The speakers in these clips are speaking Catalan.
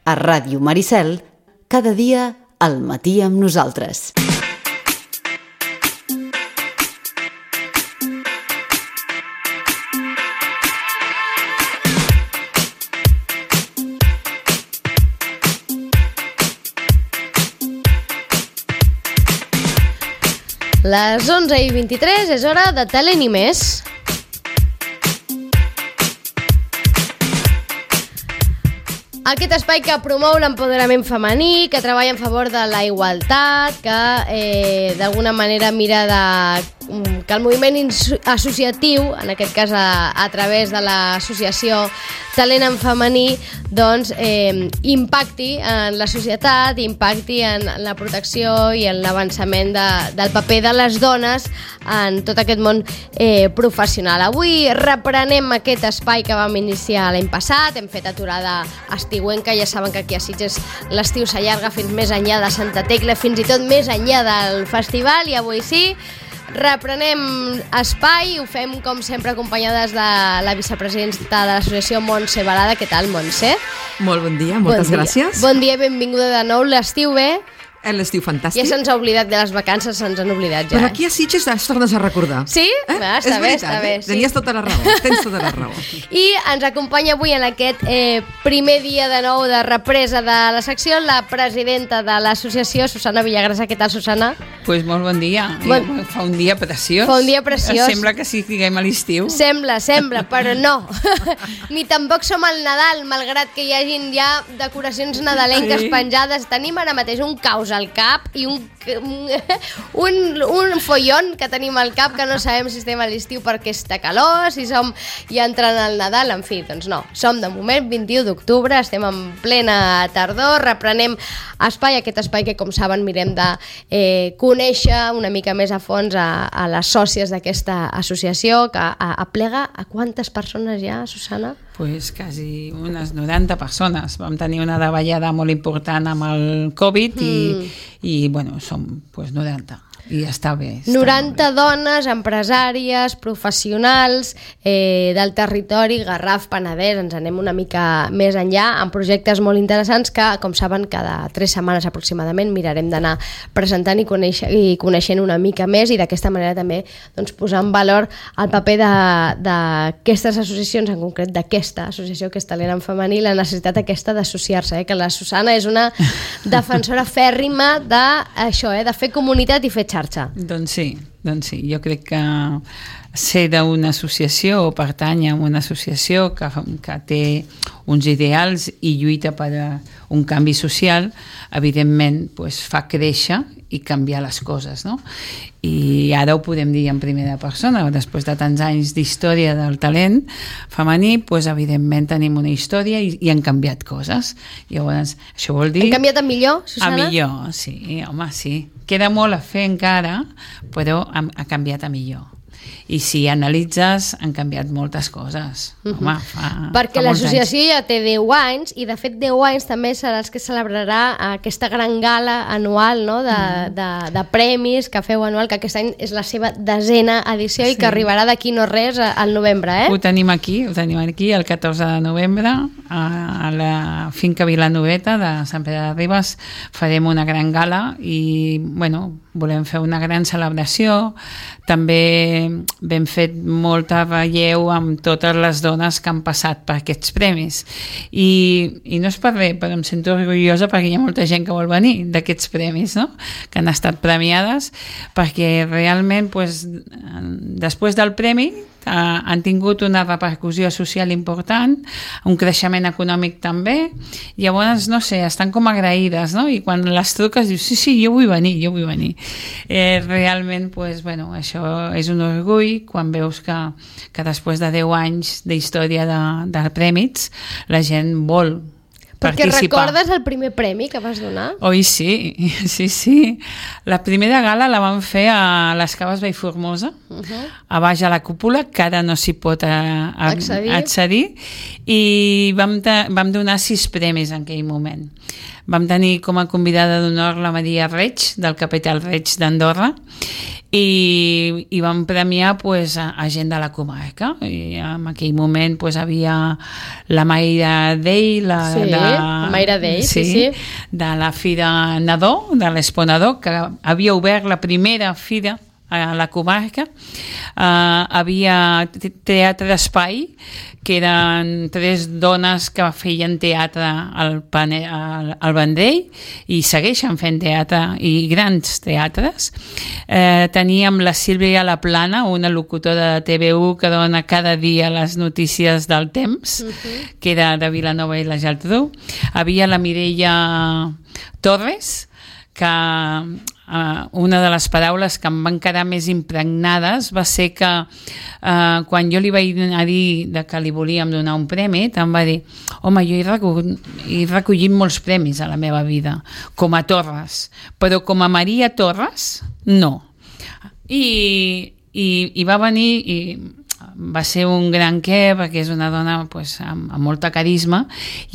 A Ràdio Maricel, cada dia al matí amb nosaltres. Les 11:23 és hora de Talent i més. Aquest espai que promou l'empoderament femení, que treballa en favor de la igualtat, que d'alguna manera mira que el moviment associatiu, en aquest cas a través de l'associació Talent en Femení, doncs impacti en la societat, impacti en la protecció i en l'avançament del paper de les dones en tot aquest món professional. Avui reprenem aquest espai que vam iniciar l'any passat, hem fet aturada estiuenca, ja saben que aquí a Sitges l'estiu s'allarga fins més enllà de Santa Tecla, fins i tot més enllà del festival, i avui sí, reprenem espai, ho fem com sempre acompanyades de la vicepresidenta de l'associació Montse Balada. Què tal, Montse? Molt bon dia, moltes gràcies. Bon dia, benvinguda de nou. L'estiu bé? L'estiu fantàstic. Ja se'ns ha oblidat de les vacances, se'ns han oblidat ja. Però aquí a Sitges es tornes a recordar. Sí? Va, està bé, està bé. Sí. Tenies tota la raó, tens tota la raó. I ens acompanya avui en aquest primer dia de nou de represa de la secció la presidenta de l'associació, Susana Villagrasa. Què tal, Susana? Pues molt bon dia. Fa un dia preciós. Fa un dia preciós. Sembla que sí que estiguem a l'estiu. Sembla, però no. Ni tampoc som al Nadal, malgrat que hi hagin ja decoracions nadalenques penjades. Tenim ara mateix un caos al cap i un follon que tenim al cap, que no sabem si estem a l'estiu perquè està calor, si som ja entrant al Nadal. En fi, doncs no, som de moment 21 d'octubre, estem en plena tardor, reprenem espai, aquest espai que, com saben, mirem de conèixer una mica més a fons a les sòcies d'aquesta associació, que aplega a quantes persones ja, Susana? Pues quasi unes 90 persones. Vam tenir una davallada molt important amb el Covid i bueno, som pues 90. I està bé. 90 dones, empresàries, professionals del territori, Garraf, Penedès, ens anem una mica més enllà, amb projectes molt interessants que, com saben, cada 3 setmanes aproximadament mirarem d'anar presentant i coneixent una mica més, i d'aquesta manera també doncs, posar en valor el paper d'aquestes associacions, en concret d'aquesta associació que és Talent en Femení, la necessitat aquesta d'associar-se, que la Susana és una defensora fèrrima d'això, de fer comunitat i fer xarxa. Doncs sí, jo crec que ser d'una associació o pertany a una associació que té uns ideals i lluita per un canvi social, evidentment pues, fa créixer i canviar les coses, no? I ara ho podem dir en primera persona, després de tants anys d'història del talent femení, pues, evidentment tenim una història i han canviat coses. Llavors, això vol dir... Han canviat a millor, Susana? A millor, sí, home, sí. Queda molt a fer encara, però ha canviat a millor. I si analitzes, han canviat moltes coses. Home, perquè l'associació ja té 10 anys, i de fet 10 anys també serà els que celebrarà aquesta gran gala anual, no? de premis que feu anual, que aquest any és la seva 10a edició, i que arribarà d'aquí no res al novembre. Ho tenim aquí el 14 de novembre a la finca Vilanoveta de Sant Pere de Ribes. Farem una gran gala i bueno, volem fer una gran celebració. També vam fet molta relleu amb totes les dones que han passat per aquests premis, i no és per res, però em sento orgullosa perquè hi ha molta gent que vol venir d'aquests premis, no? Que han estat premiades, perquè realment pues, després del premi han tingut una repercussió social important, un creixement econòmic també. Llavors, no sé, estan com agraïdes, no? I quan les truques dius, sí, jo vull venir. Realment, pues, bueno, això és un orgull quan veus que després de 10 anys d'història de premis la gent vol Perquè participar. recordes el primer premi que vas donar? Oi, sí. La primera gala la vam fer a les Caves Vallformosa, a baix a la cúpula, que ara no s'hi pot accedir, i vam donar 6 premis en aquell moment. Vam tenir com a convidada d'honor la Maria Reig, del Capital Reig d'Andorra, i vam premiar pues, a gent de la comarca. I en aquell moment pues, havia la Mayra Dei, la amb aire d'ell, sí. De la Fira Nadó, de l'Expo Nadó, que havia obert la primera fira a la comarca. Havia teatre d'espai, que eren 3 dones que feien teatre al Vendrell i segueixen fent teatre i grans teatres. Teníem la Sílvia Laplana, una locutora de TV1 que dona cada dia les notícies del temps, que era de Vilanova i la Geltrú. Havia la Mireia Torres, que una de les paraules que em van quedar més impregnades va ser que quan jo li vaig dir que li volíem donar un premi, em va dir: home, jo he recollit molts premis a la meva vida, com a Torres, però com a Maria Torres, no. I va venir i va ser un gran què, perquè és una dona amb molta carisma,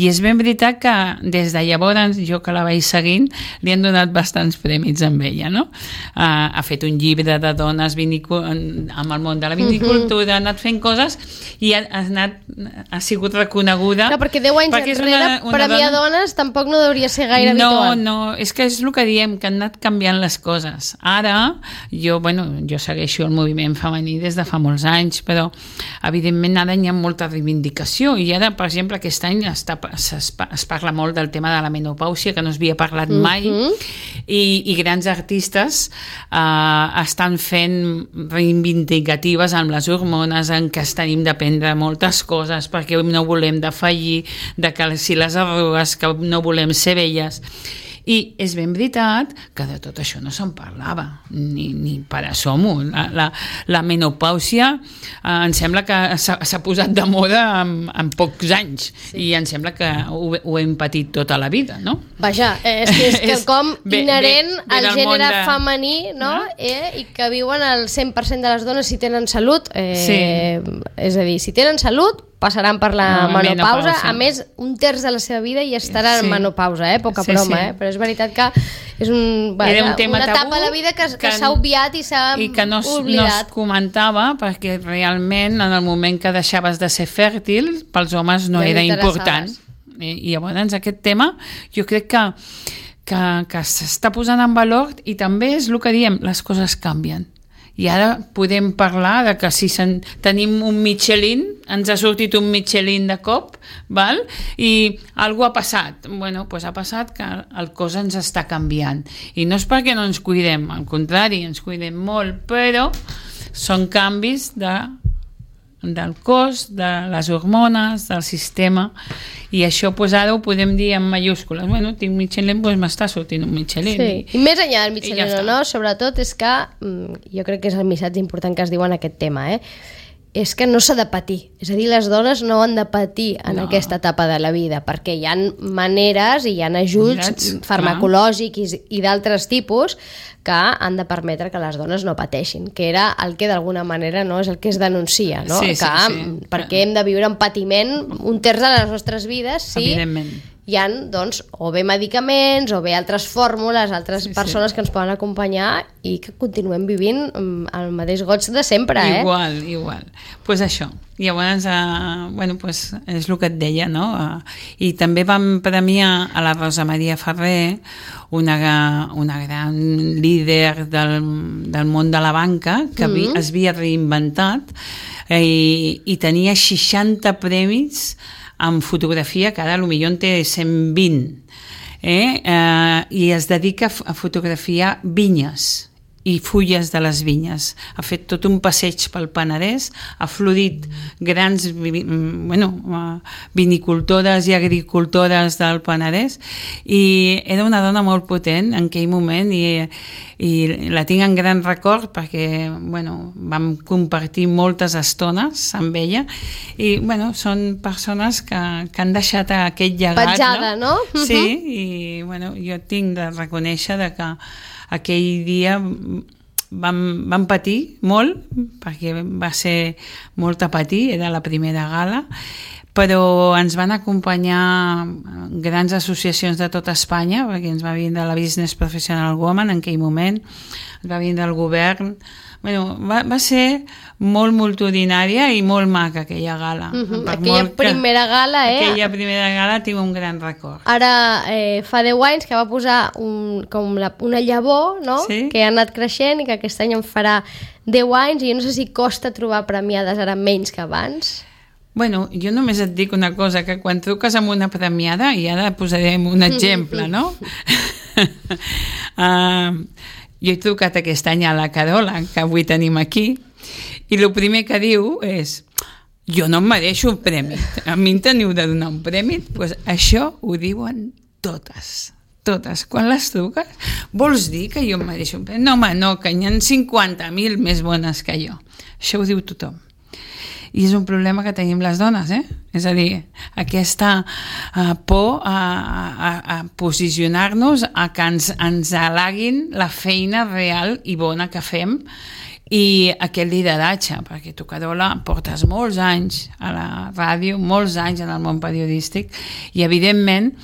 i és ben veritat que des de llavors, jo que la vaig seguint, li han donat bastants premis amb ella, no? Ha fet un llibre de dones amb el món de la vinicultura, ha anat fent coses i ha sigut reconeguda. No, perquè 10 anys enrere, premiar dones tampoc no hauria ser gaire habitual. No, és que és el que diem, que han anat canviant les coses. Ara, jo segueixo el moviment femení des de fa molts anys, però evidentment ara hi ha molta reivindicació i ara, per exemple, aquest any es parla molt del tema de la menopàusia, que no s'havia parlat mai, i grans artistes estan fent reivindicatives amb les hormones, en què tenim d'aprendre moltes coses, perquè no volem defallir, de que si les arrugues, que no volem ser velles. I és ben veritat que de tot això no se'n parlava, ni per assommo. La menopàusia em sembla que s'ha posat de moda en pocs anys, i em sembla que ho hem patit tota la vida, no? Vaja, és quelcom inherent al gènere femení, no? I que viuen el 100% de les dones si tenen salut. És a dir, si tenen salut, passaran per la menopausa. A més, 1/3 de la seva vida hi estarà en menopausa, poca broma, però és veritat que és una etapa de la vida que s'ha obviat i s'ha oblidat. I que no es comentava, perquè realment en el moment que deixaves de ser fèrtil, pels homes no era important. I llavors aquest tema jo crec que s'està posant en valor, i també és el que diem, les coses canvien. I ara podem parlar de que si tenim un Michelin, ens ha sortit un Michelin de cop, val? I alguna ha passat. Bueno, doncs ha passat que el cos ens està canviant. I no és perquè no ens cuidem, al contrari, ens cuidem molt, però són canvis del cos, de les hormones, del sistema, i això ara ho podem dir en mayúscules. Bueno, tinc Michelin, doncs m'està sortint un Michelin. Sí. I més enllà del Michelin o no, sobretot és que jo crec que és el missatge important que es diu en aquest tema, és que no s'ha de patir. És a dir, les dones no han de patir en aquesta etapa de la vida, perquè hi ha maneres i hi ha ajuts farmacològics i d'altres tipus que han de permetre que les dones no pateixin, que era el que d'alguna manera és el que es denuncia, no? Perquè hem de viure en patiment 1/3 de les nostres vides si hi ha, doncs, o bé medicaments o bé altres fórmules, altres persones que ens poden acompanyar i que continuem vivint el mateix goig de sempre, Igual. Pues això. Llavors, és el que et deia, no? I també vam premiar a la Rosa Maria Ferrer, una gran líder del món de la banca, que es havia reinventat i tenia 60 premis en fotografia, que ara potser en té 120, i es dedica a fotografiar vinyes i fulles de les vinyes. Ha fet tot un passeig pel Penedès, ha florit grans vinicultores i agricultores del Penedès, i era una dona molt potent en aquell moment, i la tinc en gran record perquè vam compartir moltes estones amb ella, i són persones que han deixat aquest llegat. Petjada, no? Sí, i jo tinc de reconèixer que aquell dia vam patir molt, perquè va ser molt a patir, era la primera gala, però ens van acompanyar grans associacions de tota Espanya, perquè ens va vindre la Business Professional Woman en aquell moment, ens va vindre el govern. Bueno, va ser molt multitudinària i molt maca aquella gala. Aquella primera gala, Aquella primera gala tinc un gran record. Ara fa 10 anys que va posar una llavor, no? Sí. Que ha anat creixent i que aquest any en farà 10 anys i jo no sé si costa trobar premiades ara menys que abans. Bueno, jo només et dic una cosa, que quan truques amb una premiada, i ara posarem un exemple, no? Jo he trucat aquest any a la Carola, que avui tenim aquí, i el primer que diu és: jo no em mereixo un premi, a mi em teniu de donar un premi. Pues això ho diuen totes. Quan les truques, vols dir que jo em mereixo un premi? No, home, no, que hi ha 50.000 més bones que jo. Això ho diu tothom. I és un problema que tenim les dones, És a dir, aquesta por a posicionar-nos, a que ens halaguin la feina real i bona que fem i aquest lideratge, perquè tu, Carola, portes molts anys a la ràdio, molts anys en el món periodístic i, evidentment,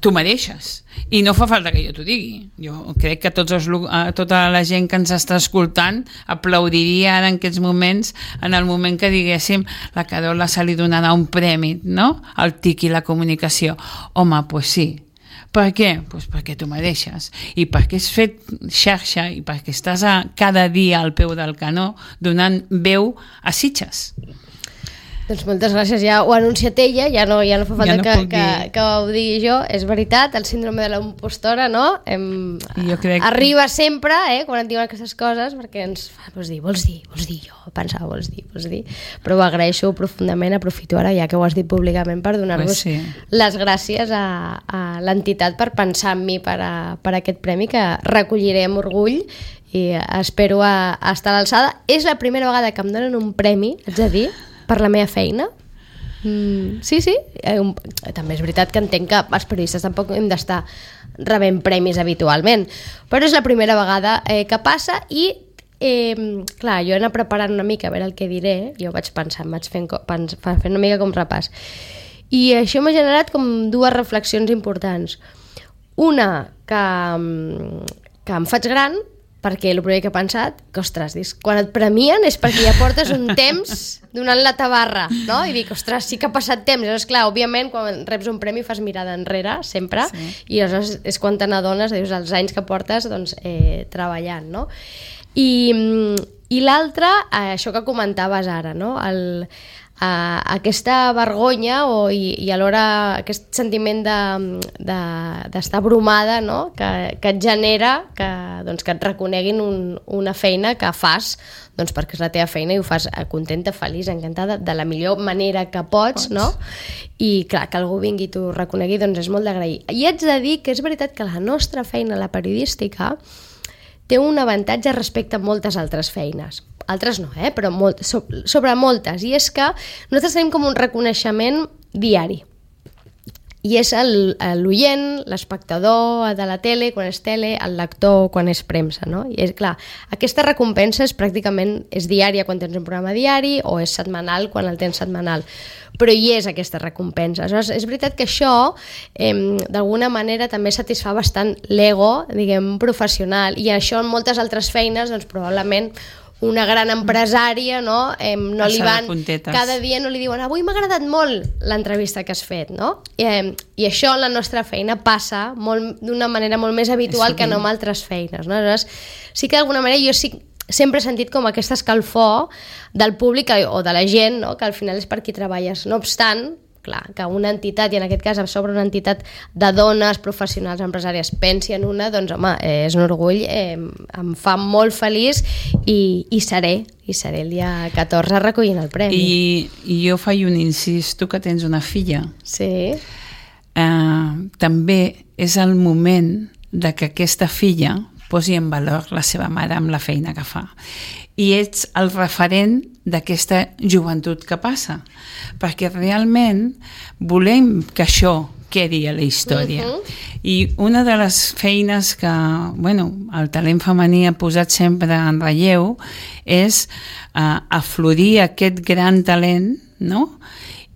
tu mereixes. I no fa falta que jo t'ho digui. Jo crec que tota la gent que ens està escoltant aplaudiria ara en aquests moments, en el moment que diguéssim la Carola se li donarà un premi, no? Al TIC i la comunicació. Home, doncs sí. Per què? Pues perquè t'ho mereixes. I perquè has fet xarxa i perquè estàs cada dia al peu del canó donant veu a Sitges. Doncs moltes gràcies, ja ho ha anunciat ella, ja no fa falta que ho digui jo. És veritat, el síndrome de la impostora, no? Arriba sempre, quan et diuen aquestes coses, perquè ens fa, vols dir, jo pensava, vols dir. Però ho agraeixo profundament, aprofito ara, ja que ho has dit públicament, per donar-vos les gràcies a l'entitat per pensar en mi per aquest premi, que recolliré amb orgull i espero estar a l'alçada. És la primera vegada que em donen un premi, haig de dir, per la meva feina. Sí. També és veritat que entenc que els periodistes tampoc hem d'estar rebent premis habitualment, però és la primera vegada que passa i clar, jo he anat preparant una mica a veure el que diré. Jo vaig pensar, vaig fent una mica com repàs, i això m'ha generat com dues reflexions importants. Una, que em faig gran, perquè el primer que he pensat, que ostres, quan et premien és perquè ja portes un temps donant la tabarra, no? I dic, ostres, sí que ha passat temps. Llavors, clar, òbviament, quan reps un premi fas mirada enrere, sempre, i llavors és quan te n'adones, dius, els anys que portes treballant, no? I l'altre, això que comentaves ara, no? Aquesta vergonya i alhora aquest sentiment d'estar abrumada, no? que et genera que et reconeguin una feina que fas perquè és la teva feina i ho fas contenta, feliç, encantada, de la millor manera que pots. No? I clar, que algú vingui i t'ho reconegui, és molt d'agrair. I haig de dir que és veritat que la nostra feina, la periodística, té un avantatge respecte a moltes altres feines. Altres no, però sobre moltes. I és que nosaltres tenim com un reconeixement diari. I és l'oient, l'espectador de la tele, quan és tele, el lector, quan és premsa, no? I és clar, aquesta recompensa és diària quan tens un programa diari o és setmanal quan el tens setmanal. Però hi és aquesta recompensa. Aleshores, és veritat que això d'alguna manera també satisfà bastant l'ego, diguem, professional, i això en moltes altres feines, probablement una gran empresària, no li van, cada dia no li diuen avui m'ha agradat molt l'entrevista que has fet, no? I això en la nostra feina passa d'una manera molt més habitual que no en altres feines, no? Aleshores, sí que d'alguna manera jo sempre he sentit com aquesta escalfor del públic o de la gent, no? Que al final és per qui treballes. No obstant, clar, que una entitat, i en aquest cas sobre una entitat de dones professionals empresàries pensi en una, home, és un orgull, em fa molt feliç i seré el dia 14 recollint el premi. I jo faig un incís, tu que tens una filla, sí. També és el moment de que aquesta filla posi en valor la seva mare amb la feina que fa. I ets el referent d'aquesta joventut que passa, perquè realment volem que això quedi a la història. I una de les feines que el talent femení ha posat sempre en relleu és aflorir aquest gran talent, no?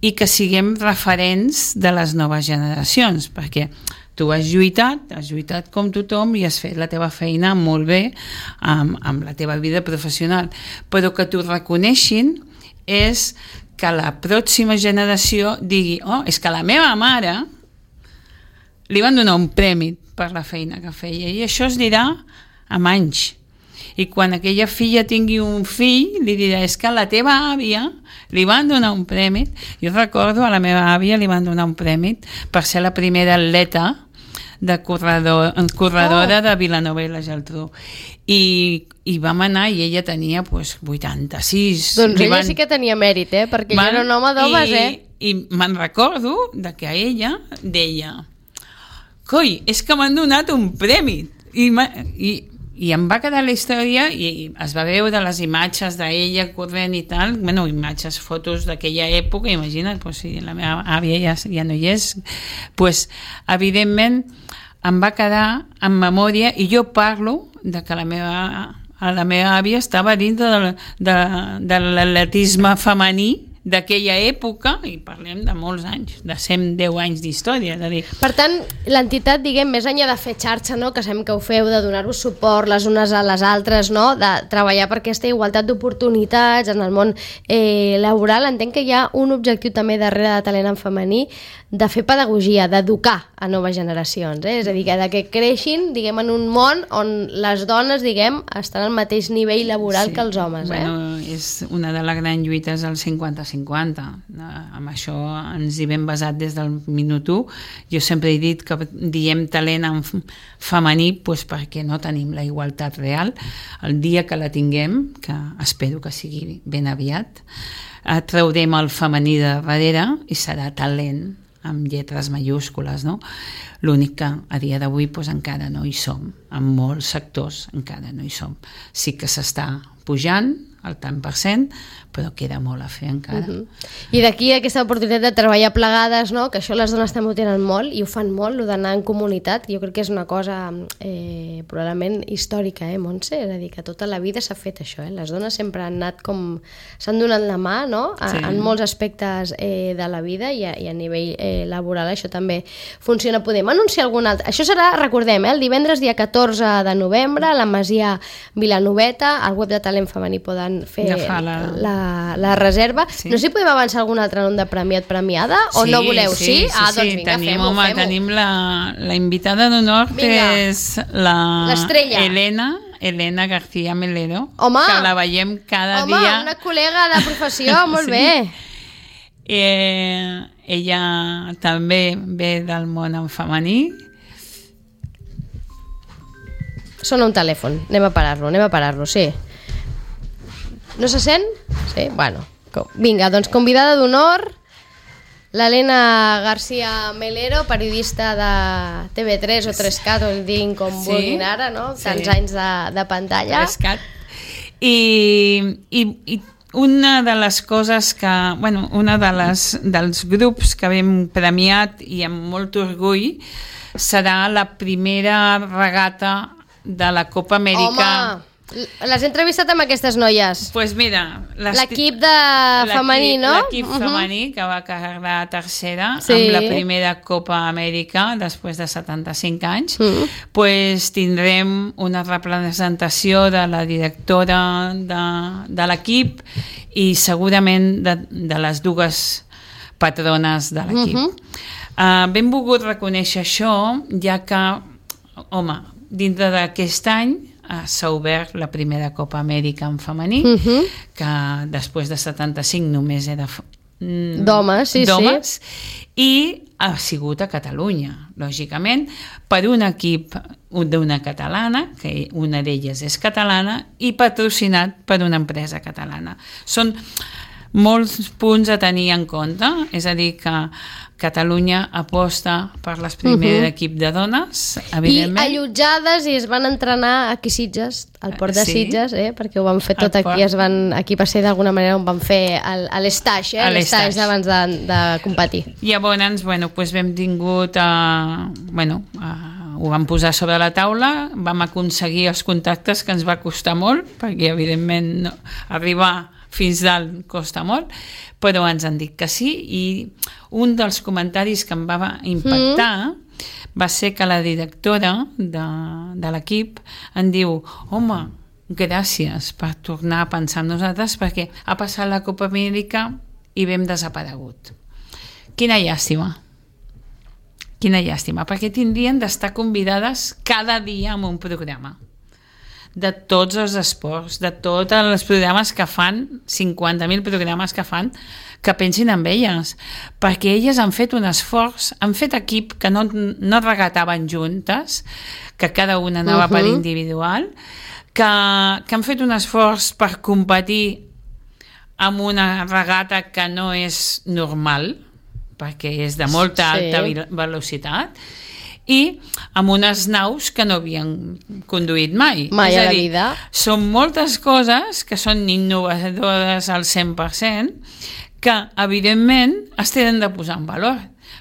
i que siguem referents de les noves generacions, perquè tu has lluitat com tothom i has fet la teva feina molt bé amb la teva vida professional, però que t'ho reconeixin és que la pròxima generació digui, és que la meva mare li van donar un premi per la feina que feia, i això es dirà amb anys. I quan aquella filla tingui un fill, li dirà, és que a la teva àvia li van donar un premi. Jo recordo, a la meva àvia li van donar un premi per ser la primera atleta de corredora de Vilanova i la Geltrú. I vam anar i ella tenia 86. Doncs ella sí que tenia mèrit, perquè ella era un home d'homes, I me'n recordo que ella deia, coi, és que m'han donat un premi. I em va quedar la història i es va veure les imatges d'ella corrent i tal, imatges, fotos d'aquella època, imagina't, si la meva àvia ja no hi és, evidentment em va quedar en memòria, i jo parlo de que la meva àvia estava dintre de l'atletisme femení d'aquella època, i parlem de molts anys, de 110 anys d'història. Per tant, l'entitat, diguem, més enllà de fer xarxa, que sabem que ho feu, de donar-vos suport les unes a les altres, de treballar per aquesta igualtat d'oportunitats en el món laboral, entenc que hi ha un objectiu també darrere de Talent en Femení, de fer pedagogia, d'educar a noves generacions, és a dir, que creixin, diguem, en un món on les dones, diguem, estan al mateix nivell laboral que els homes. És una de les grans lluites del 50-50. Amb això ens hi vam basat des del minut 1. Jo sempre he dit que diem talent en femení perquè no tenim la igualtat real. El dia que la tinguem, que espero que sigui ben aviat, traurem el femení de darrere i serà talent amb lletres majúscules, no? L'únic que a dia d'avui encara no hi som, en molts sectors encara no hi som. Sí que s'està pujant al tant per cent, però queda molt a fer encara. I d'aquí aquesta oportunitat de treballar plegades, que això les dones també ho tenen molt i ho fan molt, el d'anar en comunitat, jo crec que és una cosa probablement històrica, Montse? És a dir, que tota la vida s'ha fet això, les dones sempre han anat com... s'han donat la mà, en molts aspectes de la vida, i a nivell laboral això també funciona. Podem anunciar algun altre? Això serà, recordem, el divendres dia 14 de novembre a la Masia Vilanoveta, al web de Talent Femení poden fer la reserva. Sí. No sé si podem avançar algun altre nom de premiat, premiada, o no voleu? Sí? Doncs vinga, fem-ho. Tenim la invitada d'honor, que és l'estrella Elena García Melero, que la veiem cada dia. Una col·lega de professió, molt bé. Ella també ve del món en femení. Sona un telèfon, anem a parar-lo, sí. No se sent? Sí? Bueno, vinga, doncs convidada d'honor, l'Elena García Melero, periodista de TV3 o 3CAT, o el diguin com vulguin ara, no? Tants anys de pantalla. 3CAT. I una de les coses que... dels grups que hem premiat i amb molt orgull serà la primera regata de la Copa Amèrica. Home! Les he entrevistat amb aquestes noies. Doncs mira... L'equip femení, no? L'equip femení, que va quedar tercera amb la primera Copa Amèrica després de 75 anys. Doncs tindrem una representació de la directora de l'equip i segurament de les dues patrones de l'equip. Ben volgut reconèixer això, ja que, dintre d'aquest any s'ha obert la primera Copa Amèrica en femení, que després de 75 només era d'homes, i ha sigut a Catalunya, lògicament, per un equip d'una catalana, que una d'elles és catalana, i patrocinat per una empresa catalana. Són molts punts a tenir en compte, és a dir, que Catalunya aposta per les primer equip de dones, evidentment. I allotjades, i es van entrenar aquí a Sitges, al port de Sitges, perquè ho van fer tot aquí, aquí va ser d'alguna manera on van fer l'estage, l'estage d'abans de competir. Llavors, vam tingut ho vam posar sobre la taula, vam aconseguir els contactes, que ens va costar molt, perquè evidentment arribar fins dalt costa molt, però ens han dit que sí, i un dels comentaris que em va impactar va ser que la directora de l'equip em diu: home, gràcies per tornar a pensar en nosaltres, perquè ha passat la Copa Amèrica i vam desaparegut. Quina llàstima, perquè tindrien d'estar convidades cada dia en un programa de tots els esports, de tots els programes que fan, 50.000 programes que fan, que pensin en elles, perquè elles han fet un esforç, han fet equip, que no regataven juntes, que cada una anava per individual, que han fet un esforç per competir amb una regata que no és normal, perquè és de molta alta velocitat, i amb unes naus que no havien conduït mai. Mai a la vida. Són moltes coses que són innovadores al 100%, que evidentment es tenen de posar en valor,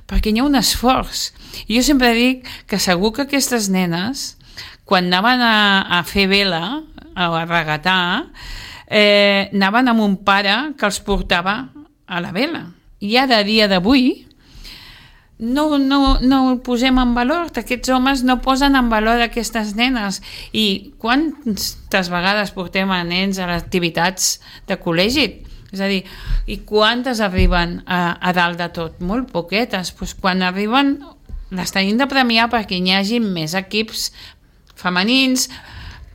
perquè hi ha un esforç. I jo sempre dic que segur que aquestes nenes, quan anaven a fer vela, a regatar, anaven amb un pare que els portava a la vela. I ara, a dia d'avui, no ho posem en valor, aquests homes no posen en valor aquestes nenes. I quantes vegades portem a nens a les activitats de col·legi? És a dir, i quantes arriben a dalt de tot? Molt poquetes. Pues quan arriben les tenim de premiar perquè hi hagi més equips femenins,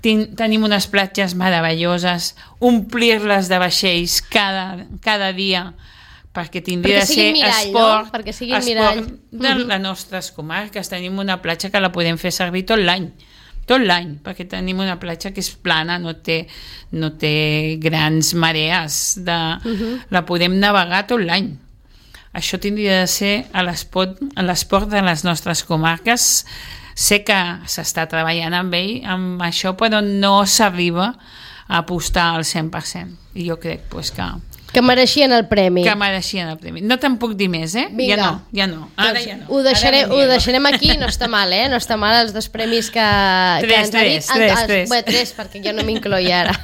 tenim unes platges meravelloses, omplir-les de vaixells cada dia, perquè tindria de ser esport, no? Perquè siguin mirall de les nostres comarques. Tenim una platja que la podem fer servir tot l'any, perquè tenim una platja que és plana, no té grans marees, la podem navegar tot l'any. Això tindria de ser a l'esport de les nostres comarques. Sé que s'està treballant amb això, però no s'arriba a apostar al 100%. I jo crec que mereixien el premi. No te'n puc dir més, Vinga. Ja no. Ara ja no. Ho deixarem aquí, no està mal, No està mal els 2 premis que ens ha dit. Tres. Bé, 3, perquè jo no m'incloia ara.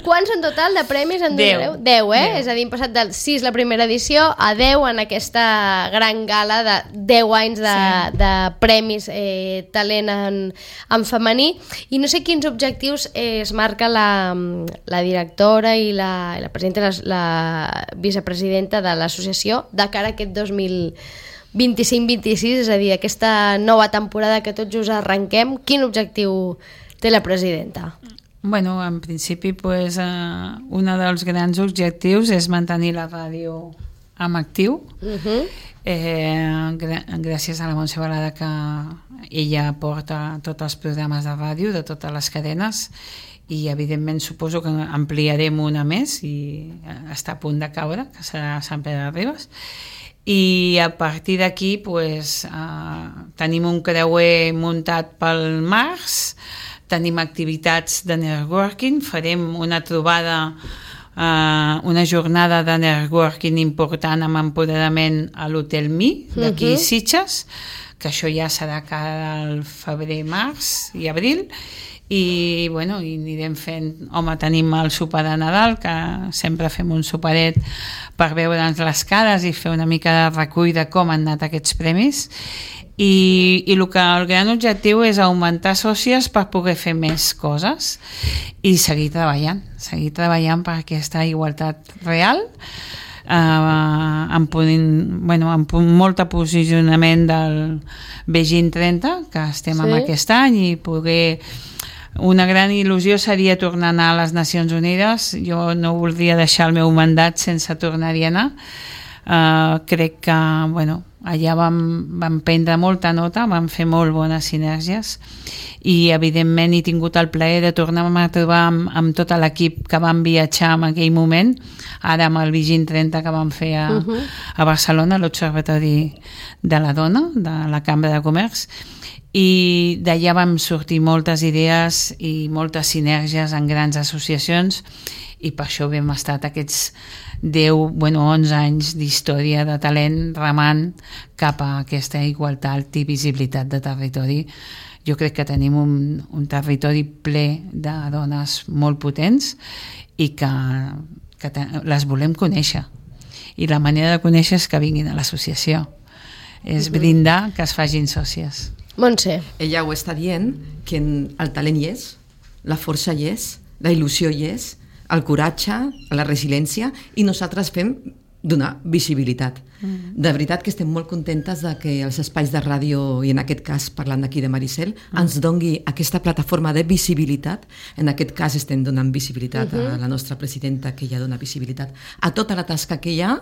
Quants en total de premis en donareu? 10, 10. És a dir, hem passat del 6 la primera edició a 10 en aquesta gran gala de 10 anys de premis talent en femení. I no sé quins objectius es marca la directora i la presidenta, la vicepresidenta de l'associació de cara a aquest 2025-26, és a dir, aquesta nova temporada que tots just arrenquem. Quin objectiu té la presidenta? Bueno, en principi, un dels grans objectius és mantenir la ràdio en actiu. Gràcies a la Montse Balada, que ella porta tots els programes de ràdio de totes les cadenes, i evidentment suposo que ampliarem una més i està a punt de caure, que serà Sant Pere de Ribes, i a partir d'aquí tenim un creuer muntat pel març, tenim activitats de networking, farem una trobada, una jornada de networking important amb empoderament a l'Hotel Mi d'aquí Sitges, que això ja serà cada al febrer, març i abril. I anirem fent, tenim el sopar de Nadal, que sempre fem un soparet per veure'ns les cares i fer una mica de recull de com han anat aquests premis, i el gran objectiu és augmentar sòcies per poder fer més coses i seguir treballant per aquesta igualtat real, amb molt posicionament del Beijing 30 que estem en aquest any, i poder... Una gran il·lusió seria tornar a anar a les Nacions Unides. Jo no voldria deixar el meu mandat sense tornar-hi a anar. Crec que allà vam prendre molta nota, vam fer molt bones sinergies, i evidentment he tingut el plaer de tornar-me a trobar amb tot l'equip que vam viatjar en aquell moment, ara amb el Beijing 30 que vam fer a Barcelona, a l'Observatori de la Dona de la Cambra de Comerç, i d'allà vam sortir moltes idees i moltes sinergies en grans associacions, i per això hem estat aquests 11 anys d'història de talent remant cap a aquesta igualtat i visibilitat de territori. Jo crec que tenim un territori ple de dones molt potents i que les volem conèixer. I la manera de conèixer és que vinguin a l'associació. És brindar que es facin sòcies. Montse. Ella ho està dient, que el talent hi és, la força hi és, la il·lusió hi és, el coratge, la resiliència, i nosaltres fem donar visibilitat. De veritat que estem molt contentes de que els espais de ràdio, i en aquest cas parlant d'aquí de Maricel, ens dongui aquesta plataforma de visibilitat. En aquest cas estem donant visibilitat a la nostra presidenta, que ja dona visibilitat a tota la tasca que hi ha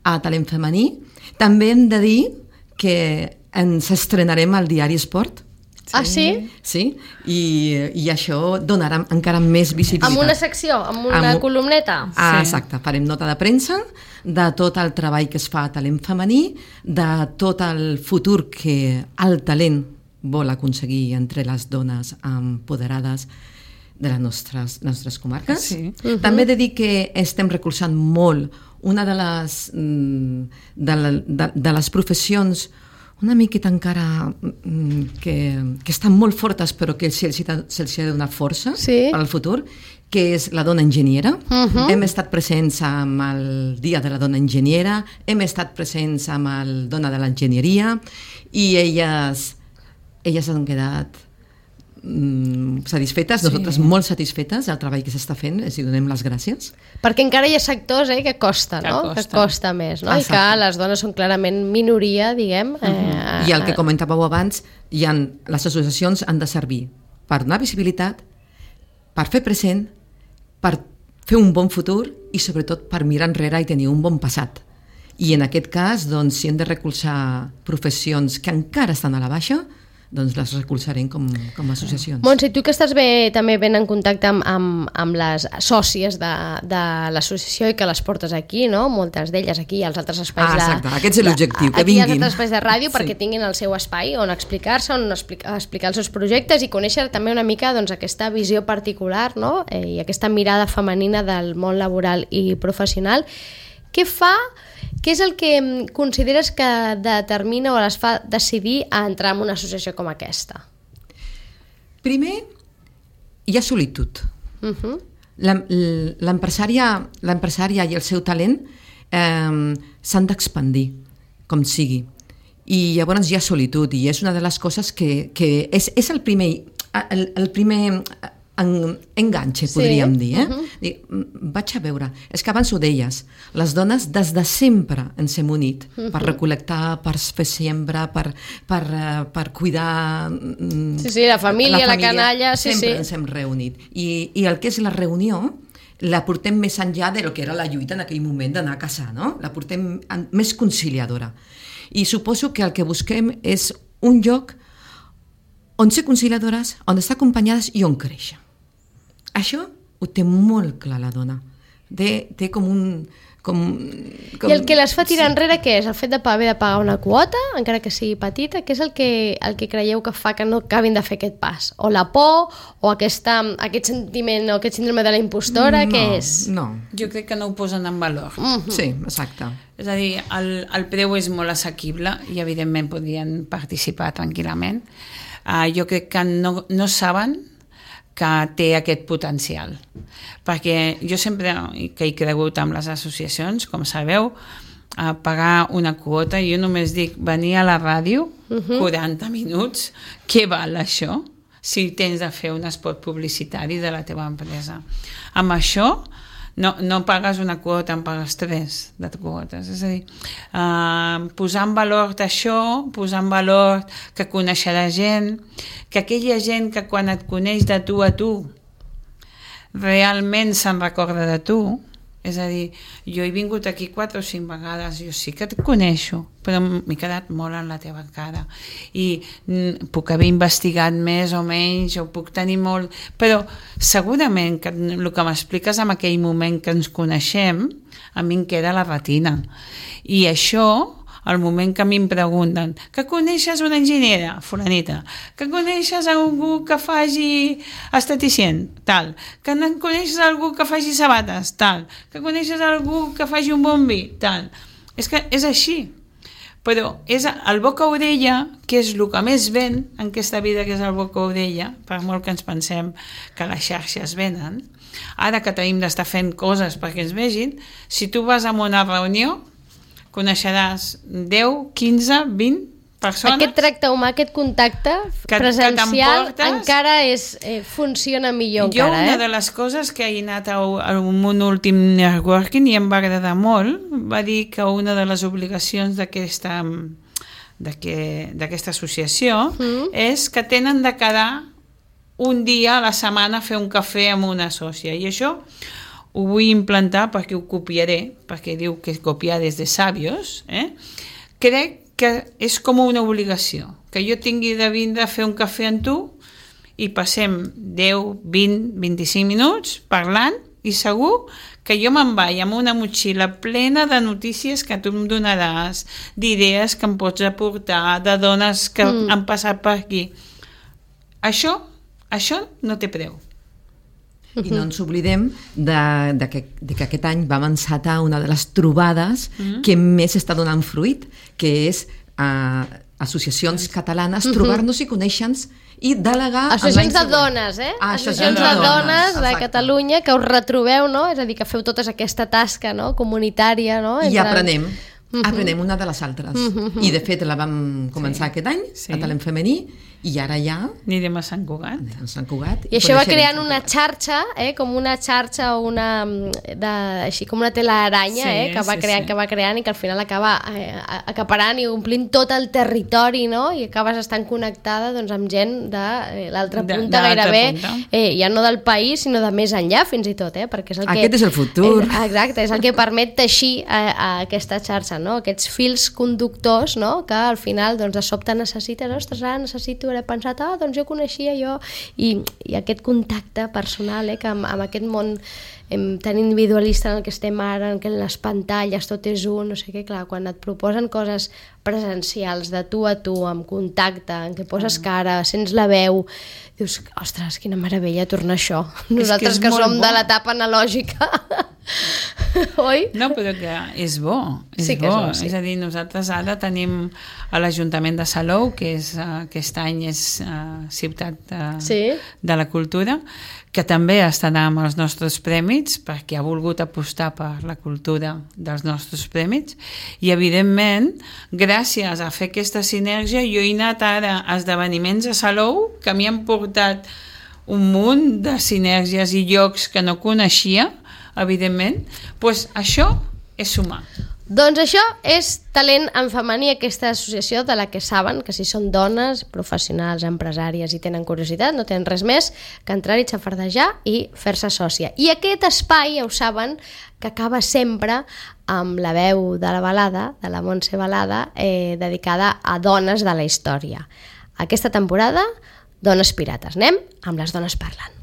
a Talent Femení. També hem de dir que ens estrenarem al diari Esport. Ah, sí? Sí, i això donarà encara més visibilitat. Amb una secció, amb una columneta? Ah, exacte, farem nota de premsa de tot el treball que es fa a Talent Femení, de tot el futur que el talent vol aconseguir entre les dones empoderades de les nostres comarques. Sí. També he de dir que estem recolzant molt una de les professions una miqueta encara que estan molt fortes però que se'ls ha de donar força per al futur, que és la dona enginyera. Hem estat presents amb el Dia de la Dona Enginyera, hem estat presents amb el Dona de l'Enginyeria, i elles han quedat satisfetes, nosaltres molt satisfetes del treball que s'està fent, i donem les gràcies. Perquè encara hi ha sectors que costa, no? Que costa més, no? I que les dones són clarament minoria, diguem. I el que comentàveu abans, les associacions han de servir per donar visibilitat, per fer present, per fer un bon futur i sobretot per mirar enrere i tenir un bon passat. I en aquest cas, doncs, si hem de recolzar professions que encara estan a la baixa, doncs les recolzarem com a associacions. Montse, tu que estàs també ben en contacte amb les sòcies de l'associació i que les portes aquí, no? Moltes d'elles aquí, als altres espais exacte, aquest és l'objectiu, que vinguin. Aquí als altres espais de ràdio perquè tinguin el seu espai on explicar-se, on explicar els seus projectes i conèixer també una mica aquesta visió particular, no? I aquesta mirada femenina del món laboral i professional. Què és el que consideres que determina o les fa decidir a entrar en una associació com aquesta? Primer, hi ha solitud. L'empresària i el seu talent s'han d'expandir, com sigui. I llavors hi ha solitud, i és una de les coses que és el primer enganxe, podríem dir. Vaig a veure, és que abans ho deies, les dones des de sempre ens hem unit per recol·lectar, per fer siembra, per cuidar la família, la canalla, sempre ens hem reunit. I el que és la reunió la portem més enllà del que era la lluita en aquell moment d'anar a caçar, no? La portem més conciliadora. I suposo que el que busquem és un lloc on ser conciliadores, on estar acompanyades i on créixer. Això ho té molt clar la dona. Té com un... I el que les fa tirar enrere què és? El fet de haver de pagar una quota, encara que sigui petita? Què és el que creieu que fa que no acabin de fer aquest pas? O la por? O aquest sentiment o aquest síndrome de la impostora? Què és? No. Jo crec que no ho posen en valor. Sí, exacte. És a dir, el preu és molt assequible i evidentment podrien participar tranquil·lament. Jo crec que no saben que té aquest potencial. Perquè jo sempre que he cregut amb les associacions, com sabeu, pagar una quota, jo només dic venir a la ràdio 40 minuts, què val això? Si tens de fer un spot publicitari de la teva empresa. Amb això no pagues una quota, en pagues 3 de quotes. És a dir, posar en valor d'això, posar en valor que coneixerà gent, que aquella gent que quan et coneix de tu a tu realment se'n recorda de tu. És a dir, jo he vingut aquí 4 o 5 vegades, jo sí que et coneixo, però m'he quedat molt en la teva cara i puc haver investigat més o menys, o puc tenir molt... Però segurament que el que m'expliques en aquell moment que ens coneixem, a mi em queda a la retina. I això, al moment que a mi em pregunten que coneixes una enginyera, fulanita, que coneixes algú que faci esteticient, tal, que coneixes algú que faci sabates, tal, que coneixes algú que faci un bon vi, tal. És que és així. Però és el boca-orella, que és el que més ven en aquesta vida, que és el boca-orella, per molt que ens pensem que les xarxes venen. Ara que tenim d'estar fent coses perquè ens vegin, si tu vas a una reunió, coneixeràs 10, 15, 20 persones. Aquest tracte humà, aquest contacte presencial encara funciona millor. Jo una de les coses que he anat a un últim networking i em va agradar molt, va dir que una de les obligacions d'aquesta associació és que tenen de quedar un dia a la setmana a fer un cafè amb una sòcia, i això ho vull implantar perquè ho copiaré, perquè diu que copiar des de sabios. Crec que és com una obligació, que jo tingui de vindre a fer un cafè amb tu i passem 10, 20, 25 minuts parlant, i segur que jo me'n vaig amb una motxilla plena de notícies que tu em donaràs, d'idees que em pots aportar, de dones que han passat per aquí. Això no té preu. I no ens oblidem que aquest any vam encetar una de les trobades que més està donant fruit, que és associacions catalanes, trobar-nos i conèixer-nos i delegar... Associacions de dones, associacions de dones de Catalunya, que us retrobeu, no? És a dir, que feu tota aquesta tasca comunitària, no? I aprenem una de les altres. I de fet la vam començar aquest any, a Talent Femení, i ara ja anirem a Sant Cugat. I això va creant una xarxa, com una xarxa o així com una telaranya, que va creant i que al final acaba acaparant i omplint tot el territori, no? I acabes estant connectada amb gent de l'altra punta, gairebé ja no del país sinó de més enllà fins i tot, perquè és el que... Aquest és el futur. Exacte, és el que permet teixir aquesta xarxa, no? Aquests fils conductors, no? Que al final de sobte necessites, ostres, ara necessito haver pensat, doncs jo coneixia i aquest contacte personal que amb aquest món tan individualista en el que estem ara, en què les pantalles tot és un, no sé què, clar, quan et proposen coses presencials de tu a tu, amb contacte, en què poses cara, sents la veu, dius, ostres, quina meravella tornar a això. Nosaltres que som de l'etapa analògica, oi? No, però que és bo. És a dir, nosaltres ara tenim a l'Ajuntament de Salou, que aquest any és ciutat de la cultura, que també estarà amb els nostres prèmits, perquè ha volgut apostar per la cultura dels nostres prèmits, i evidentment, gràcies a fer aquesta sinergia, jo he anat ara a esdeveniments a Salou que m'hi han portat un munt de sinergies i llocs que no coneixia, evidentment. Doncs això és sumar. Doncs això és Talent en Femení, aquesta associació de la que saben que si són dones, professionals, empresàries i tenen curiositat, no tenen res més que entrar-hi, xafardejar i fer-se sòcia. I aquest espai, ja ho saben, que acaba sempre amb la veu de la balada, de la Montse Balada, dedicada a dones de la història. Aquesta temporada, Dones Pirates. Anem amb les dones parlant.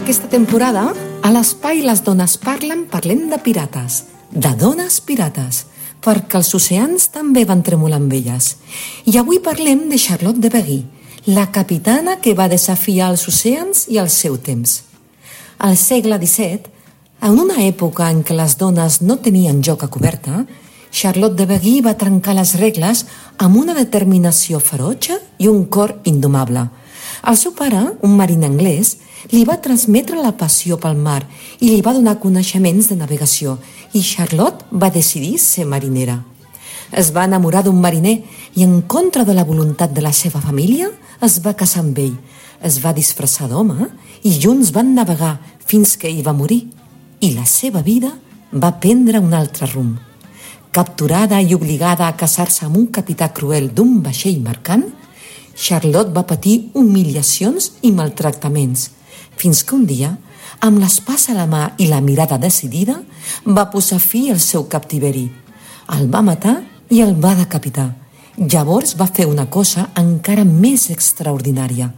Aquesta temporada, a l'espai Les Dones Parlen, parlem de pirates, de dones pirates, perquè els oceans també van tremolar amb elles. I avui parlem de Charlotte de Beguí, la capitana que va desafiar els oceans i el seu temps. Al segle XVII, en una època en què les dones no tenien joc a coberta, Charlotte de Beguí va trencar les regles amb una determinació ferotge i un cor indomable. El seu pare, un mariner anglès, li va transmetre la passió pel mar i li va donar coneixements de navegació, i Charlotte va decidir ser marinera. Es va enamorar d'un mariner i, en contra de la voluntat de la seva família, es va casar amb ell. Es va disfressar d'home i junts van navegar fins que ell va morir. I la seva vida va prendre un altre rumb. Capturada i obligada a casar-se amb un capità cruel d'un vaixell mercant, Charlotte va patir humiliacions i maltractaments, fins que un dia, amb l'espasa a la mà i la mirada decidida, va posar fi al seu captiveri. El va matar i el va decapitar. Llavors va fer una cosa encara més extraordinària.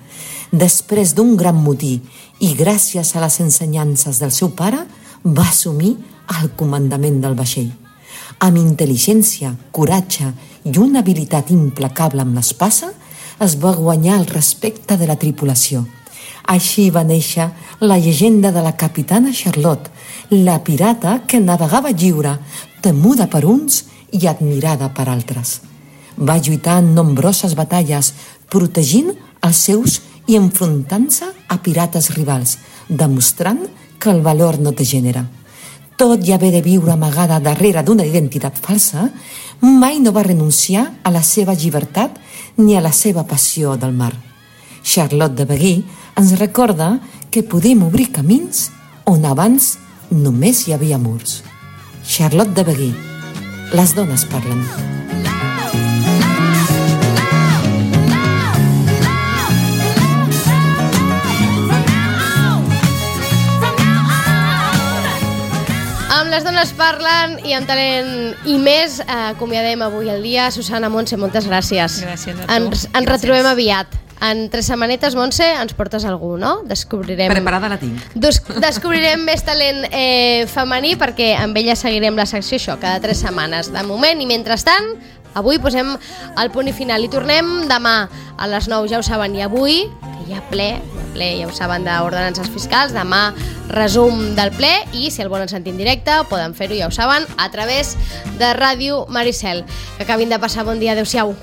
Després d'un gran motí i gràcies a les ensenyances del seu pare, va assumir el comandament del vaixell. Amb intel·ligència, coratge i una habilitat implacable amb l'espasa, es va guanyar el respecte de la tripulació. Així va néixer la llegenda de la capitana Charlotte, la pirata que navegava lliure, temuda per uns i admirada per altres. Va lluitar en nombroses batalles, protegint els seus i enfrontant-se a pirates rivals, demostrant que el valor no té gènere. Tot i haver de viure amagada darrere d'una identitat falsa, mai no va renunciar a la seva llibertat ni a la seva passió del mar. Charlotte de Beguí ens recorda que podem obrir camins on abans només hi havia murs. Charlotte de Beguí, les dones parlen. Amb les dones parlen i amb talent i més, acomiadem avui el dia. Susana, Montse, moltes gràcies. Gràcies a tu. Ens retrobem aviat. En 3 setmanetes, Montse, ens portes algú, no? Descobrirem... Preparada la tinc. Descobrirem més talent femení, perquè amb ella seguirem la secció això, cada 3 setmanes de moment. I mentrestant, avui posem el punt i final. I tornem demà a les 9, ja ho saben. I avui, que hi ha ple, ja ho saben, d'ordenances fiscals. Demà, resum del ple. I si el volen sentir en directe, poden fer-ho, ja ho saben, a través de Ràdio Maricel. Que acabin de passar bon dia. Adéu-siau.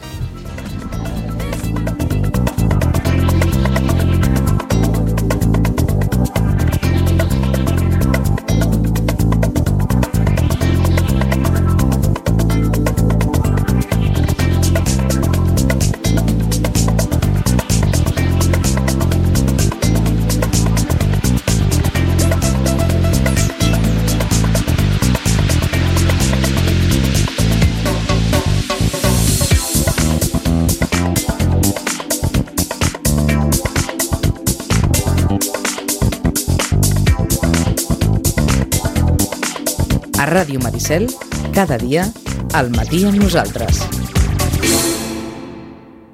A Ràdio Maricel, cada dia, al matí amb nosaltres.